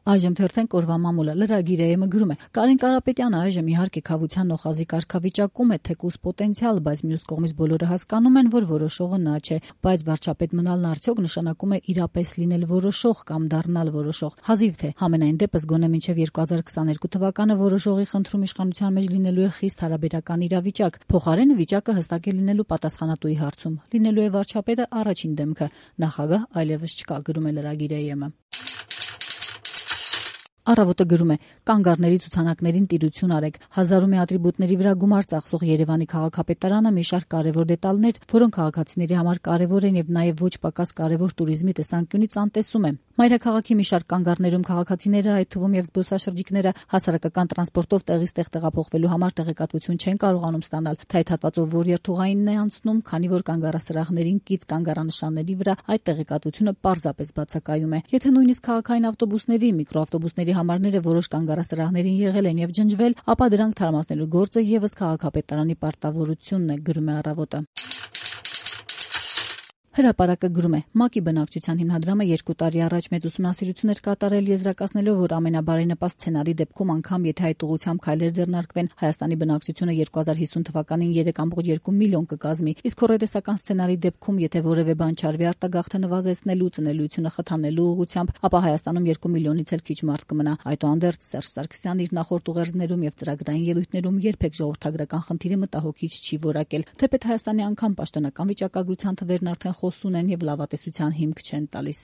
Այժմ թերթենք օրվա մամուլը լրագիր ԵՄ գրում է. Կարեն Կարապետյանը այժմ իհարկե քավության նոխազի կարգավիճակում է, թեկուզ պոտենցիալ, բայց մյուս կողմից բոլորը հասկանում են, որ որոշողը նա չէ, բայց վարչապետ մնալն արդյոք նշանակում է իրապես լինել որոշող կամ դառնալ որոշող։ Հազիվ թե համենայն դեպս գոնե մինչև 2022 թվականը որոշողի խնդրում իշխանության մեջ լինելու է խիստ հարաբերական իրավիճակ։ Փոխարենը վիճակը հստակ է լինելու պատասխանատուի հարցում։ Լինելու է վարչապետը առաջին դեմքը, նախագահ այլևս չկա, գրում է լրագիր ԵՄ։ Առավոտը գրում է. կանգառների ցուցանակներին տիրություն արեք։ Հազարումի ատրիբուտների վրա գումար ծախսող Երևանի քաղաքապետարանը մի շարք կարևոր դետալներ, որոնք քաղաքացիների համար կարևոր են եւ նաեւ ոչ պակաս կարևոր туриզմի տեսանկյունից անտեսում է։ Մայրաքաղաքի մի շարք կանգառներում քաղաքացիները, այդ թվում եւ զբոսաշրջիկները, հասարակական տրանսպորտով տեղից տեղ տեղափոխվելու համար տեղեկատվություն չեն կարողանում ստանալ, թե այդ հատվածով որ երթուղայինն է անցնում, քանի որ կանգառասրահներին կից կանգառանշանների վրա այդ տեղեկատվությունը պարզապես բացակայում է։ Եթե նույնիսկ քաղաքային ավտոբուսների, միկրոավտոբուսների համարները որոշ կանգառասրահներին եղել են եւ ջնջվել, ապա դրանք թարմացնելու գործը եւս քաղաքապետարանի պարտավորությունն է, գրում է Առավոտը։ Հրապարակը գրում է. ՄԱԿ-ի բնակչության հիմնադրամը 2 տարի առաջ մեծ ուսումնասիրություն էր կատարել, եզրակացնելով, որ ամենաբարենպաստ սցենարի դեպքում անգամ եթե այդ ուղղությամբ քայլեր ձեռնարկվեն, Հայաստանի բնակչությունը 2050 թվականին 3.2 միլիոն կկազմի, իսկ հոռետեսական սցենարի դեպքում, եթե որևէ բան չարվի արտագաղթը նվազեցնելու, ծնելիությունը խթանելու ուղղությամբ, ապա Հայաստանում 2 միլիոնից էլ քիչ մարդ կմնա։ Այդուհանդերձ Սերժ Սարգսյանն իր նախորդ ուղերձներում եւ ծրագրային ելույթներում երբեք ժողովրդագրական խնդիրը մտահոգիչ չի որակել, թեպետ Հայաստանի անգամ պաշտոնական վիճակագրության թվերն արդեն խոսուն են եւ լավատեսության հիմք չեն տալիս։